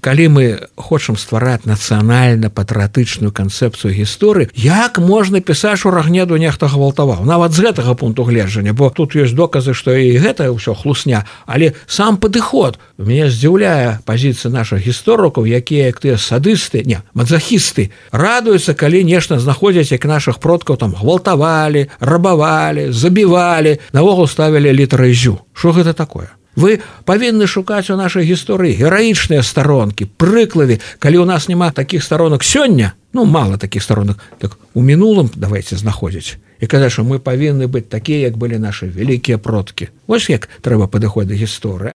калі мы хочам ствараць нацыянальна-патрыятычную канцэпцыю гісторыі, як можна пісаць, што Рагнеду нехта гвалтаваў? Нават з гэтага пункту гледжання, бо тут ёсць доказы, што і гэта ўсё хлусня, але сам падыход. Мяне здзіўляе пазіцыя нашых гісторыкаў, якія, як тыя садысты, мазахісты, радуюцца, калі нешта знаходзяць, як нашых продкаў там гвалтавалі, рабавалі, забівалі, навогул ставілі літары зю. Што гэта такое? Вы павінны шукаць у нашай гісторыі гераічныя старонкі, прыклады, калі ў нас няма такіх старонак сёння, мала такіх старонак, так у мінулым давайце знаходзіць. І казаць, што мы павінны быць такія, як былі нашы вялікія продкі. Вось як трэба падыходзіць да гісторыі.